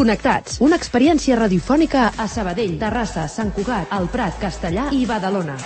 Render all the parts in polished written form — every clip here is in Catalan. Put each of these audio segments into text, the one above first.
Connectats, una experiència radiofònica a Sabadell, Terrassa, Sant Cugat, El Prat, Castellar i Badalona.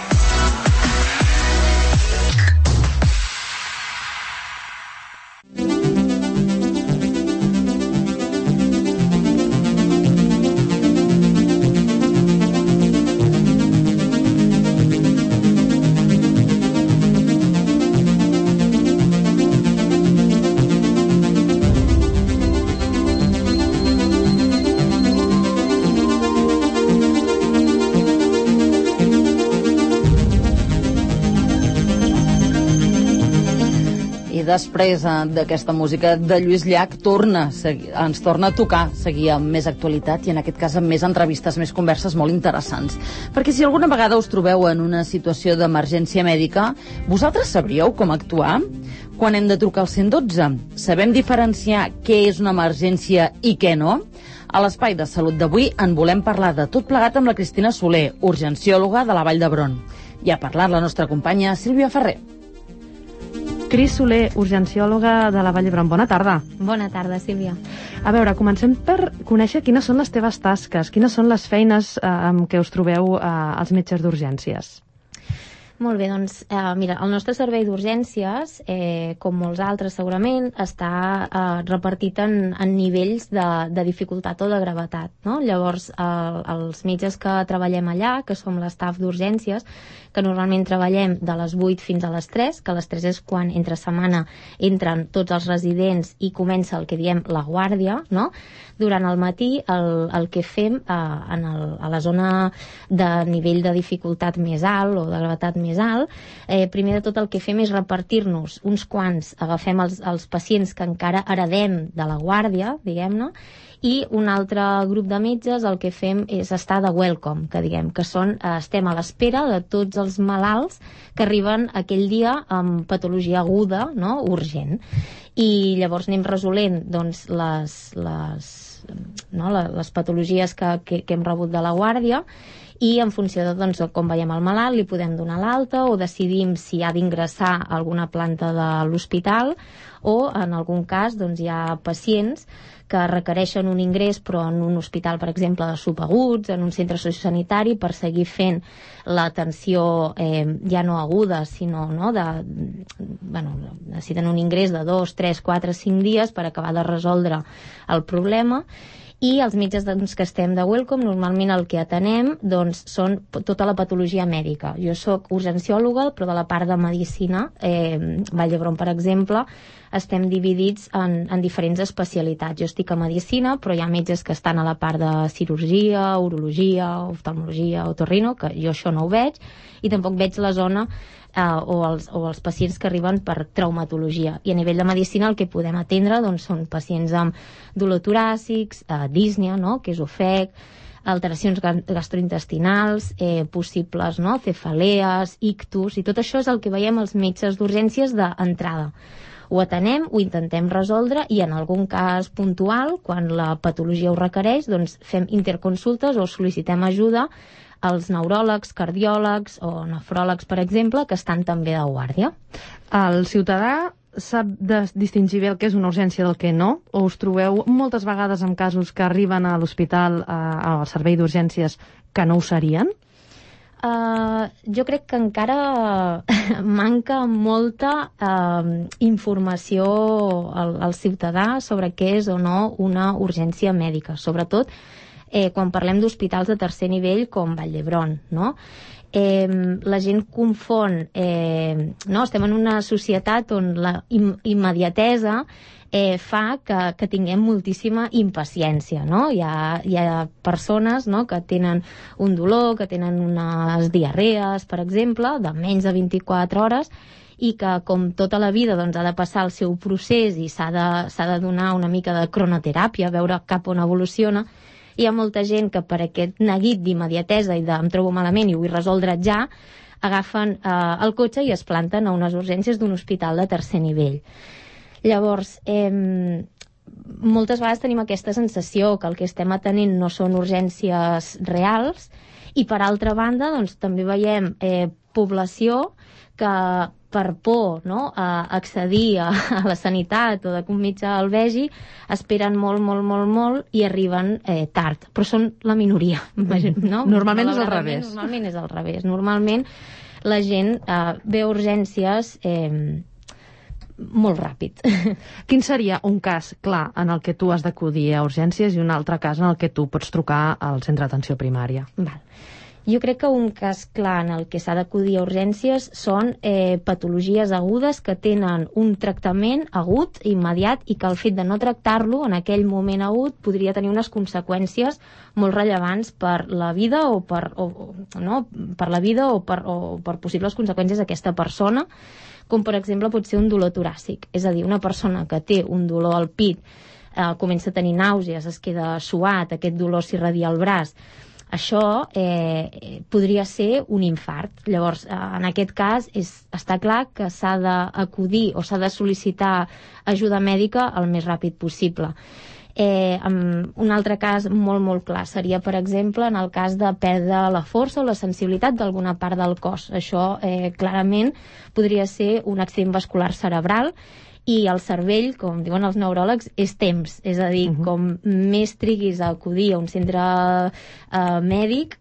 Després d'aquesta música de Lluís Llach ens torna a tocar seguir amb més actualitat i en aquest cas amb més entrevistes, més converses molt interessants. Perquè si alguna vegada us trobeu en una situació d'emergència mèdica, vosaltres sabríeu com actuar? Quan hem de trucar al 112? Sabem diferenciar què és una emergència i què no? A l'Espai de Salut d'avui en volem parlar de tot plegat amb la Cristina Soler, urgenciòloga de la Vall d'Hebron. I ha parlat la nostra companya Sílvia Ferrer. Cris Soler, urgenciòloga de la Vall d'Hebron. Bona tarda. Bona tarda, Sílvia. A veure, comencem per conèixer quines són les teves tasques, quines són les feines amb què us trobeu als metges d'urgències. Molt bé, doncs, mira, el nostre servei d'urgències, com molts altres segurament, està repartit en nivells de dificultat o de gravetat, no? Llavors, els metges que treballem allà, que som l'estaf d'urgències, que normalment treballem de les 8 fins a les 3, que a les 3 és quan entre setmana entren tots els residents i comença el que diem la guàrdia, no? Durant el matí el que fem a la zona de nivell de dificultat més alt o de gravetat més alt, primer de tot el que fem és repartir-nos uns quants, agafem els pacients que encara heredem de la guàrdia, diguem-ne, i un altre grup de metges el que fem és estar de welcome, que diguem, que estem a l'espera de tots els malalts que arriben aquell dia amb patologia aguda, no?, urgent. I llavors anem resolent doncs, les patologies que hem rebut de la guàrdia, i en funció de com veiem el malalt li podem donar l'alta o decidim si ha d'ingressar a alguna planta de l'hospital o en algun cas hi ha pacients que requereixen un ingrés però en un hospital, per exemple, de subaguts, en un centre sociosanitari per seguir fent l'atenció ja no aguda, sinó necessiten un ingrés de 2, 3, 4, 5 dies per acabar de resoldre el problema. I els metges que estem de welcome, normalment el que atenem són tota la patologia mèdica. Jo soc urgenciòloga, però de la part de medicina, Vall d'Hebron, per exemple, estem dividits en diferents especialitats. Jo estic a medicina, però hi ha metges que estan a la part de cirurgia, urologia, oftalmologia, otorrino, que jo això no ho veig, i tampoc veig la zona o els pacients que arriben per traumatologia. I a nivell de medicina el que podem atendre són pacients amb dolor toràcics, dísnia, que és ofec, alteracions gastrointestinals, possibles cefalees, ictus, i tot això és el que veiem els metges d'urgències d'entrada. Ho atenem, ho intentem resoldre i en algun cas puntual, quan la patologia ho requereix, fem interconsultes o sol·licitem ajuda als neuròlegs, cardiòlegs o nefròlegs, per exemple, que estan també de guàrdia. El ciutadà sap distingir bé el que és una urgència del que no? O us trobeu moltes vegades en casos que arriben a l'hospital, al servei d'urgències, que no ho serien? Jo crec que encara manca molta informació al ciutadà sobre què és o no una urgència mèdica, sobretot quan parlem d'hospitals de tercer nivell com Vall d'Hebron, no? La gent confon, estem en una societat on la immediatesa fa que tinguem moltíssima impaciència, no? Hi ha persones que tenen un dolor, que tenen unes diarrees, per exemple, de menys de 24 hores, i que com tota la vida ha de passar el seu procés i s'ha de donar una mica de cronoteràpia, veure cap on evoluciona. Hi ha molta gent que per aquest neguit d'immediatesa i de em trobo malament i ho vull resoldre ja, agafen el cotxe i es planten a unes urgències d'un hospital de tercer nivell. Llavors, moltes vegades tenim aquesta sensació que el que estem atenent no són urgències reals i per altra banda també veiem població que per por, no?, a accedir a la sanitat o de que un metge el vegi, esperen molt i arriben tard. Però són la minoria, no? Normalment és al revés. Normalment és al revés. Normalment la gent ve a urgències molt ràpid. Quin seria un cas clar en el que tu has d'acudir a urgències i un altre cas en el que tu pots trucar al centre d'atenció primària? Val. Jo crec que un cas clar en el que s'ha d'acudir a urgències són patologies agudes que tenen un tractament agut, immediat, i que el fet de no tractar-lo en aquell moment agut podria tenir unes conseqüències molt rellevants per la vida o per possibles conseqüències d'aquesta persona, com per exemple pot ser un dolor toràcic. És a dir, una persona que té un dolor al pit, comença a tenir nàusees, es queda suat, aquest dolor s'irradia al braç, això podria ser un infart. Llavors, en aquest cas, està clar que s'ha d'acudir o s'ha de sol·licitar ajuda mèdica el més ràpid possible. Un altre cas molt clar seria, per exemple, en el cas de perdre la força o la sensibilitat d'alguna part del cos. Això clarament podria ser un accident vascular cerebral, i el cervell, com diuen els neuròlegs, és temps. És a dir, com més triguis a acudir a un centre mèdic,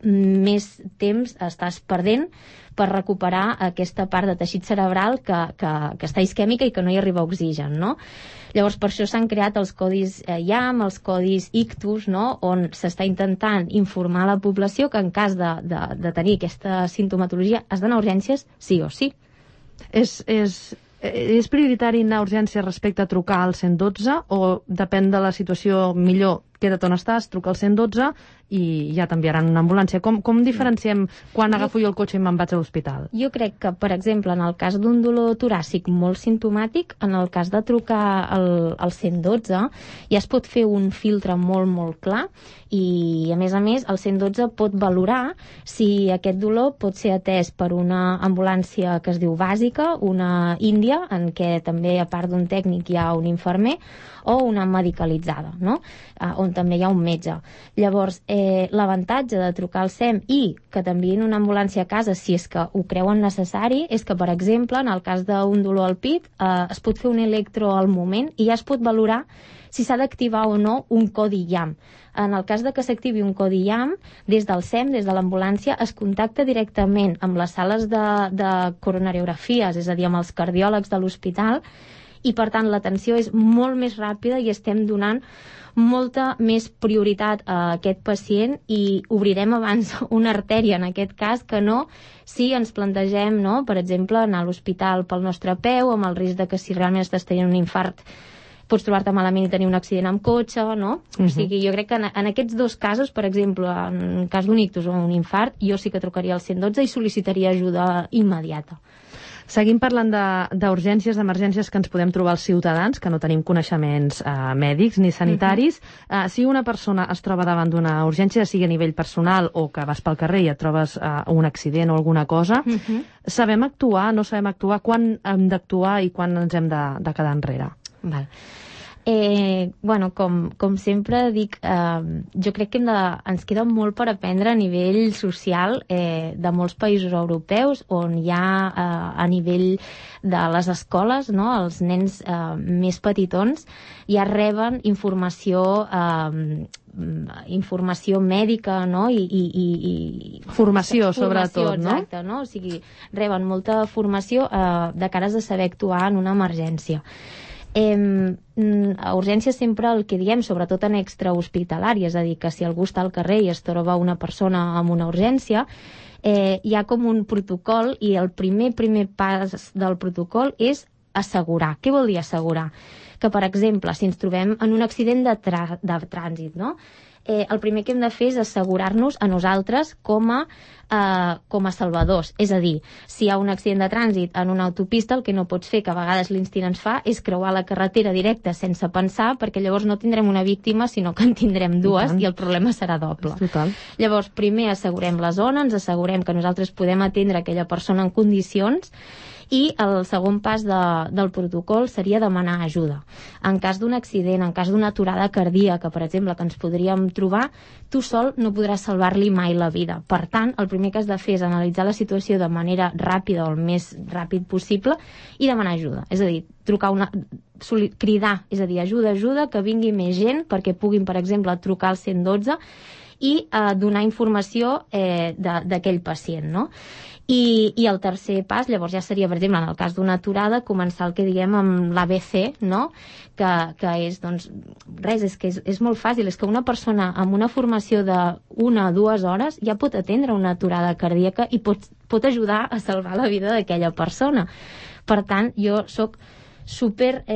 més temps estàs perdent per recuperar aquesta part de teixit cerebral que està isquèmica i que no hi arriba oxigen, no? Llavors, per això s'han creat els codis IAM, els codis ictus, no?, on s'està intentant informar la població que en cas de tenir aquesta sintomatologia has d'anar a urgències sí o sí. És prioritari anar a urgències respecte a trucar al 112 o depèn de la situació millor queda't on estàs, truca al 112 i ja t'enviaran una ambulància. Com diferenciem quan agafo jo el cotxe i me'n vaig a l'hospital? Jo crec que, per exemple, en el cas d'un dolor toràcic molt simptomàtic, en el cas de trucar al 112 ja es pot fer un filtre molt clar i, a més, el 112 pot valorar si aquest dolor pot ser atès per una ambulància que es diu bàsica, una índia, en què també, a part d'un tècnic, hi ha un infermer, o una medicalitzada, no?, on també hi ha un metge. Llavors, l'avantatge de trucar al SEM i que t'enviïn una ambulància a casa, si és que ho creuen necessari, és que, per exemple, en el cas d'un dolor al pit, es pot fer un electro al moment i ja es pot valorar si s'ha d'activar o no un codi IAM. En el cas de que s'activi un codi IAM, des del SEM, des de l'ambulància, es contacta directament amb les sales de coronariografies, és a dir, amb els cardiòlegs de l'hospital, i per tant l'atenció és molt més ràpida i estem donant molta més prioritat a aquest pacient i obrirem abans una artèria en aquest cas que no si ens plantegem, no?, per exemple, anar a l'hospital pel nostre peu, amb el risc de que si realment estàs tenint un infart pots trobar-te malament i tenir un accident amb cotxe, no? O sigui, jo crec que en aquests dos casos, per exemple, en cas d'un ictus o un infart, jo sí que trucaria al 112 i sol·licitaria ajuda immediata. Seguim parlant d'urgències, d'emergències que ens podem trobar els ciutadans, que no tenim coneixements mèdics ni sanitaris. Si una persona es troba davant d'una urgència, sigui a nivell personal o que vas pel carrer i et trobes un accident o alguna cosa, sabem actuar, no sabem actuar, quan hem d'actuar i quan ens hem de quedar enrere? Val. Bueno, com sempre dic, jo crec que ens queda molt per aprendre a nivell social de molts països europeus on hi ha a nivell de les escoles, no?, els nens més petitons ja reben informació mèdica, no?, i formació sobretot, no? Exacte, no? O sigui, reben molta formació de cares a saber actuar en una emergència. A urgències sempre el que diem, sobretot en extrahospitalari, és a dir, que si algú està al carrer i es troba una persona amb una urgència, hi ha com un protocol i el primer pas del protocol és assegurar. Què vol dir assegurar? Que, per exemple, si ens trobem en un accident de trànsit, no?, el primer que hem de fer és assegurar-nos a nosaltres com a salvadors. És a dir, si hi ha un accident de trànsit en una autopista, el que no pots fer, que a vegades l'instint ens fa, és creuar la carretera directa sense pensar, perquè llavors no tindrem una víctima, sinó que en tindrem dues i el problema serà doble. Total. Llavors, primer assegurem la zona, ens assegurem que nosaltres podem atendre aquella persona en condicions I el segon pas del protocol seria demanar ajuda. En cas d'un accident, en cas d'una aturada cardíaca, per exemple, que ens podríem trobar, tu sol no podràs salvar-li mai la vida. Per tant, el primer que has de fer és analitzar la situació de manera ràpida o el més ràpid possible i demanar ajuda. És a dir, cridar, és a dir, ajuda, que vingui més gent perquè puguin, per exemple, trucar al 112 i donar informació d'aquell pacient, no? I el tercer pas, llavors ja seria, per exemple, en el cas d'una aturada, començar el que diguem amb l'ABC, no? Que és, doncs, res, és molt fàcil, és que una persona amb una formació de 1 a 2 hores ja pot atendre una aturada cardíaca i pot ajudar a salvar la vida d'aquella persona. Per tant, jo sóc super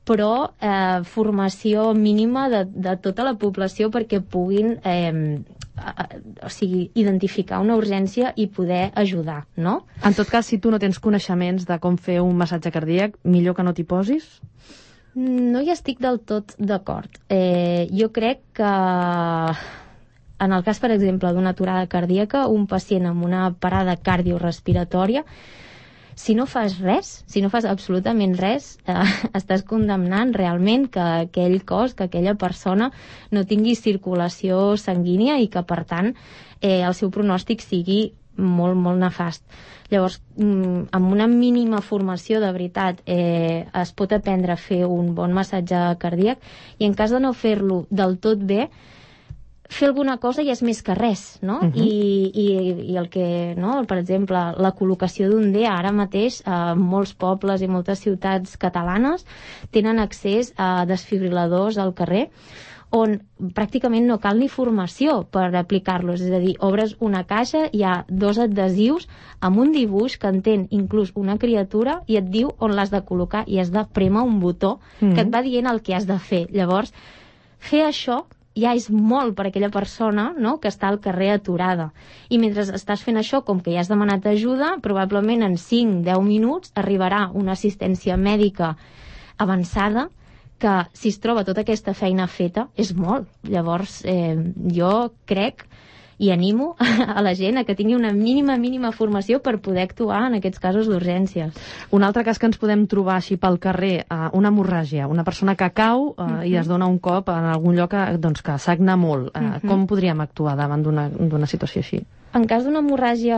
pro formació mínima de tota la població perquè puguin identificar una urgència i poder ajudar, no? En tot cas, si tu no tens coneixements de com fer un massatge cardíac, millor que no t'hi posis? No hi estic del tot d'acord. Jo crec que en el cas, per exemple, d'una aturada cardíaca, un pacient amb una parada cardiorespiratòria, si no fas res, si no fas absolutament res, estàs condemnant realment que aquell cos, que aquella persona no tingui circulació sanguínia i que, per tant, el seu pronòstic sigui molt, molt nefast. Llavors, amb una mínima formació, de veritat, es pot aprendre a fer un bon massatge cardíac i en cas de no fer-lo del tot bé, fer alguna cosa ja és més que res, no? I el que, no? Per exemple, la col·locació d'un DEA ara mateix molts pobles i moltes ciutats catalanes tenen accés a desfibriladors al carrer on pràcticament no cal ni formació per aplicar-los, és a dir, obres una caixa, hi ha 2 adhesius amb un dibuix que entén inclús una criatura i et diu on l'has de col·locar i has de prémer un botó que et va dient el que has de fer. Llavors, fer això ja és molt per a aquella persona, no?, que està al carrer aturada. I mentre estàs fent això, com que ja has demanat ajuda, probablement en 5-10 minuts arribarà una assistència mèdica avançada que, si es troba tota aquesta feina feta, és molt. Llavors, jo crec i animo a la gent a que tingui una mínima formació per poder actuar en aquests casos d'urgències. Un altre cas que ens podem trobar així pel carrer, una hemorràgia, una persona que cau i es dona un cop en algun lloc doncs, que sagna molt. Com podríem actuar davant d'una situació així? En cas d'una hemorràgia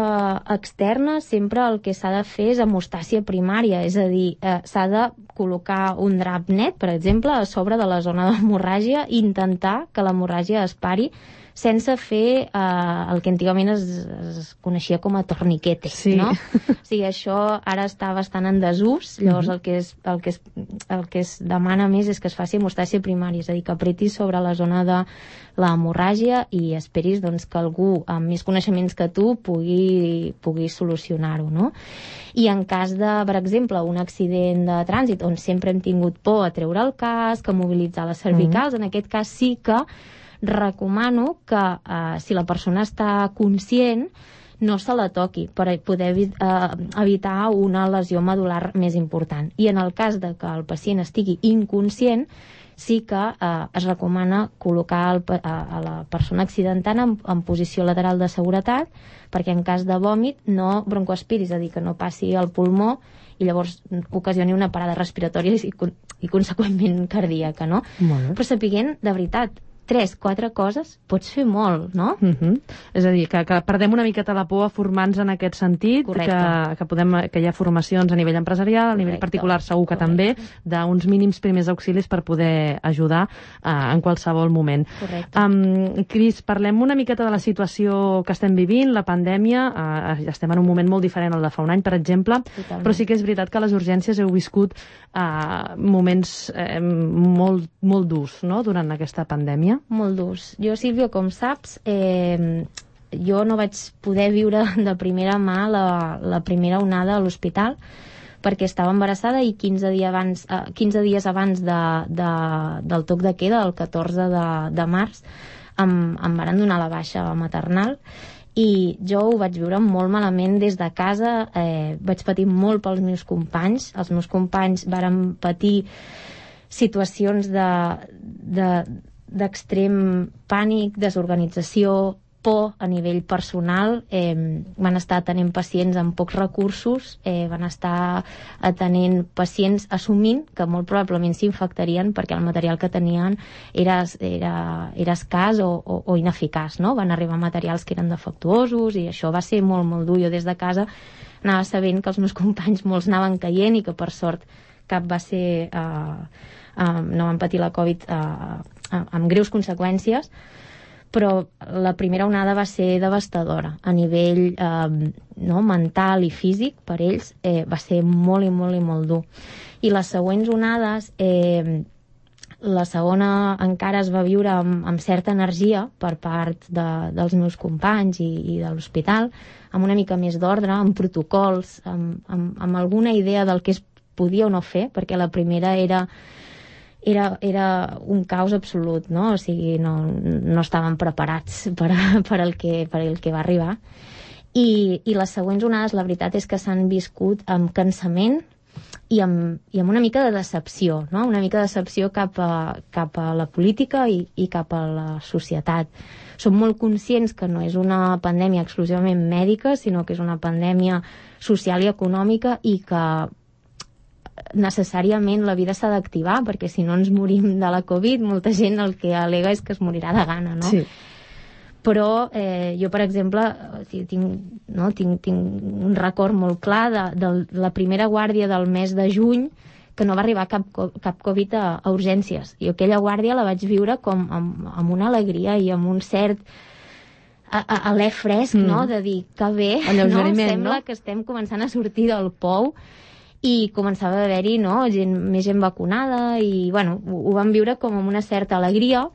externa, sempre el que s'ha de fer és hemostàsia primària, és a dir, s'ha de col·locar un drap net, per exemple, a sobre de la zona d'hemorràgia i intentar que l'hemorràgia es pari sense fer el que antigament es coneixia com a torniquete, no? O sigui, això ara està bastant en desús, llavors el que es demana més és que es faci hemostàsia primària, és a dir, que apretis sobre la zona de l'hemorràgia i esperis doncs, que algú amb més coneixements que tu pugui solucionar-ho, no? I en cas de, per exemple, un accident de trànsit on sempre hem tingut por a treure el casc, a mobilitzar les cervicals, en aquest cas sí que recomano que si la persona està conscient no se la toqui per poder evitar una lesió medular més important. I en el cas de que el pacient estigui inconscient, sí que es recomana col·locar a la persona accidentant en posició lateral de seguretat perquè en cas de vòmit no broncoaspiri, és a dir, que no passi al pulmó i llavors ocasioni una parada respiratòria i conseqüentment cardíaca, no? Però sapiguent, de veritat, 3-4 coses pots fer molt, no? És a dir, que perdem una miqueta la por a formar-nos en aquest sentit, que hi ha formacions a nivell empresarial, a nivell particular segur que també, d'uns mínims primers auxilis per poder ajudar en qualsevol moment. Cris, parlem una miqueta de la situació que estem vivint, la pandèmia, estem en un moment molt diferent al de fa un any, per exemple, però sí que és veritat que les urgències heu viscut moments molt durs, no?, durant aquesta pandèmia. Molt durs. Jo, Sílvia, com saps, jo no vaig poder viure de primera mà la primera onada a l'hospital perquè estava embarassada i 15 dies abans del toc de queda, el 14 de març, em varen donar la baixa maternal i jo ho vaig viure molt malament des de casa. Vaig patir molt pels meus companys. Els meus companys varen patir situacions d'extrem pànic, desorganització, por a nivell personal, van estar atenent pacients amb pocs recursos, van estar atenent pacients assumint que molt probablement s'infectarien perquè el material que tenien era escàs o ineficaç, no? Van arribar materials que eren defectuosos i això va ser molt, molt dur. Jo des de casa anava sabent que els meus companys molts anaven caient i que per sort cap va ser... no van patir la Covid amb greus conseqüències, però la primera onada va ser devastadora a nivell mental i físic. Per ells va ser molt i molt i molt dur. I les següents onades, la segona encara es va viure amb certa energia per part dels meus companys i de l'hospital, amb una mica més d'ordre, amb protocols, amb alguna idea del que es podia o no fer, perquè la primera era un caos absolut, no? O sigui, no estaven preparats per el que va arribar. I les següents onades, la veritat és que s'han viscut amb cansament i amb una mica de decepció, no? Una mica de decepció cap a la política i cap a la societat. Som molt conscients que no és una pandèmia exclusivament mèdica, sinó que és una pandèmia social i econòmica i que necessàriament la vida s'ha d'activar, perquè si no ens morim de la Covid, molta gent el que al·lega és que es morirà de gana, no? Sí. Però jo, per exemple, tinc un record molt clar de la primera guàrdia del mes de juny, que no va arribar cap Covid a urgències. I aquella guàrdia la vaig viure com amb una alegria i amb un cert alè fresc, no? De dir que bé, no? Sembla que estem començant a sortir del pou i començava a haver-hi més gent vacunada i ho vam viure com amb una certa alegria.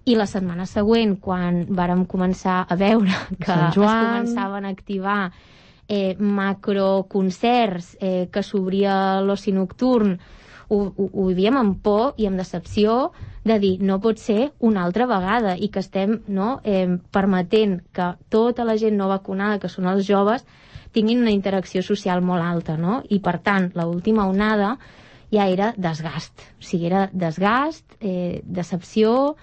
I la setmana següent, quan vàrem començar a veure que es començaven a activar macroconcerts, que s'obria l'oci nocturn, ho vivíem amb por i amb decepció de dir, no pot ser una altra vegada, i que estem permetent que tota la gent no vacunada, que són els joves, tinguin una interacció social molt alta, no? I per tant, l'última onada ja era desgast. O sigui, era desgast, decepció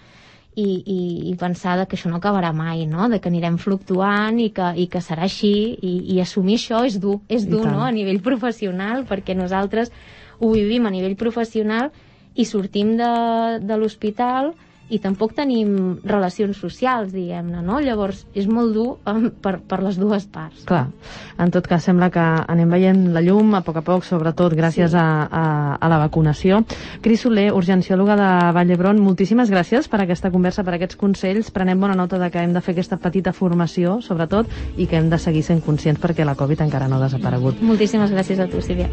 i pensar que això no acabarà mai, no? De que anirem fluctuant i que serà així, i assumir això és dur, no? A nivell professional, perquè nosaltres ho vivim a nivell professional i sortim de l'hospital i tampoc tenim relacions socials, diguem-ne, no? Llavors, és molt dur per les dues parts. Clar, en tot cas, sembla que anem veient la llum a poc, sobretot gràcies a la vacunació. Cris Soler, urgenciòloga de Vall d'Hebron, moltíssimes gràcies per aquesta conversa, per aquests consells. Prenem bona nota de que hem de fer aquesta petita formació, sobretot, i que hem de seguir sent conscients perquè la Covid encara no ha desaparegut. Moltíssimes gràcies a tu, Sílvia.